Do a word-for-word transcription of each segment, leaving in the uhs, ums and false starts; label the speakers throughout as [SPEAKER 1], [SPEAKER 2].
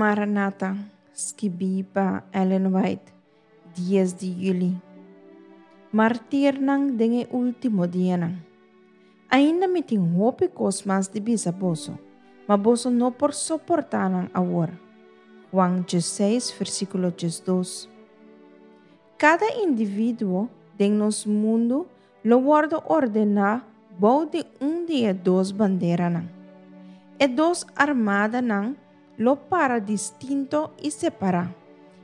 [SPEAKER 1] Maranata, skibí pa Ellen White, dies di yüli. Martirnan den e último dianan. Ainda mi tin hopi kos mas di bisa boso, ma boso no por soportá nan awor. Juan diesseis, versíkulo diesdos. Kada individuo den nos mundu lo wòrdu ordená bou di un di e dos banderanan. E dos armadanan lo para distinto i separá,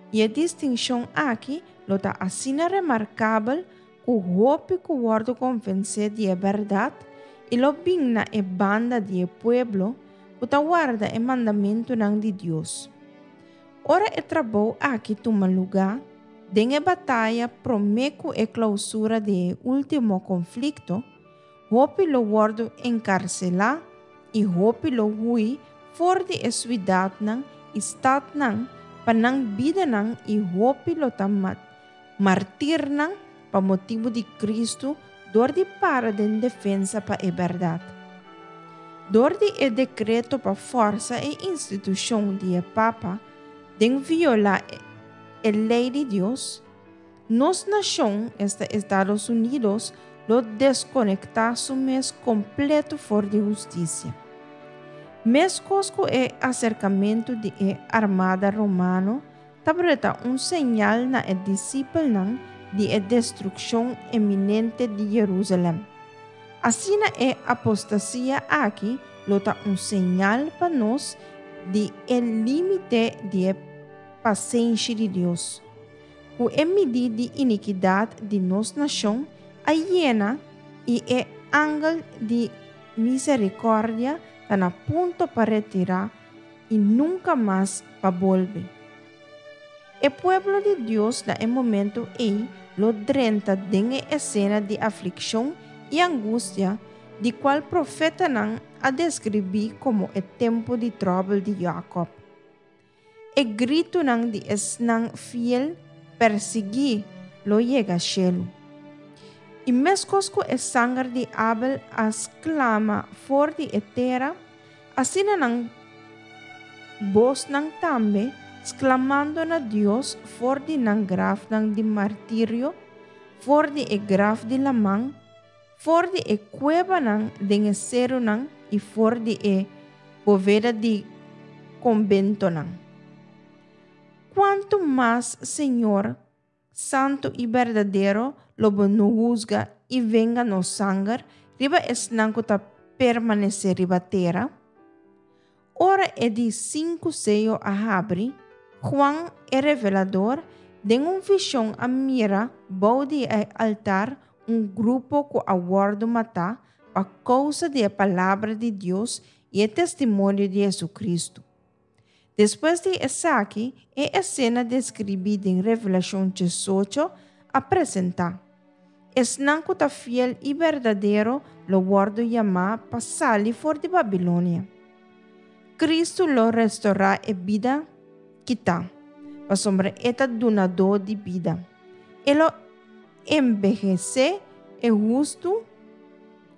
[SPEAKER 1] i e distinshon aki lo ta asina remarkabel ku hopi ku wòrdu konvensé di e bèrdat i lo bin na e banda di e pueblo ku ta warda e mandamentunan di Dios. Ora e trabou aki tuma lugá, den e bataya promé ku e klousura di e último konflikto, hopi lo wòrdu enkarselá i hopi lo hui for di e siudatnan i statnan pa nan bidanan i hopi lo ta martirnan pa motibu di Kristu dor di para den defensa pa e bèrdat. Dor di e dekreto pa fòrsa e institushon di e Papa den violá e lei di Dios, nos nashon, esta Estados Unidos, lo deskonektá su mes kompleto for di hustisia. Meskos ku e aserkamentu di e armada romano tabata un señal na e disipelnan di e destrukshon eminente di Jerusalèm, asina e apostasia aki lo ta un señal pa nos di e límite di e pasenshi di Dios. Ku e midí di inikidat di nos nashon a yena i e angel di miserikòrdia ta na punto pa retirá i nunka mas pa bolbe. E pueblo di Dios na e momento ei lo drenta den e esena di aflikshon i angustia di kual profetanan a deskribí komo e tempu di tròbel di Jakòb. E gritunan di esnan fiel persiguí lo yega shelu. I meskos ku e sanger di Abel a sklama for di e tera, asina nan bosnan tambe, sklamando na Dios for di nan grafnan di martirio, for di e graf di laman, for di e kuebanan den e serunan i for di e boveda di kombentonan. Kuantu mas, Señor, santu i berdadero, lo bo no husga i venga nos sanger riba esnan ku ta permanesé riba tera? Ora e di sinku seyo a habri, Juan e Revelador den un vishon a mira bou di e altar un grupo ku a wòrdu matá pa kousa di e palabra di Dios i e testimonio di Hesukristu. Despues di esaki, e esena deskribí den Revelashon diesocho a presentá. Esnan ku ta fiel i berdadero lo wòrdu yamá pa sali for di Babilonia. Kristu lo restorá e bida kitá, pasobra e ta dunadó di bida. E lo embeyesé e hustu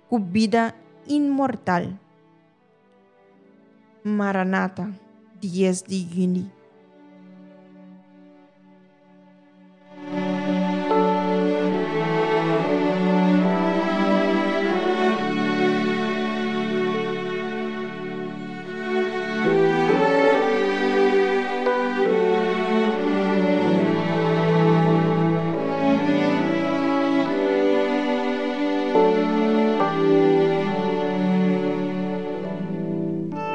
[SPEAKER 1] ku bida inmortal. Maranata, dies di yüni.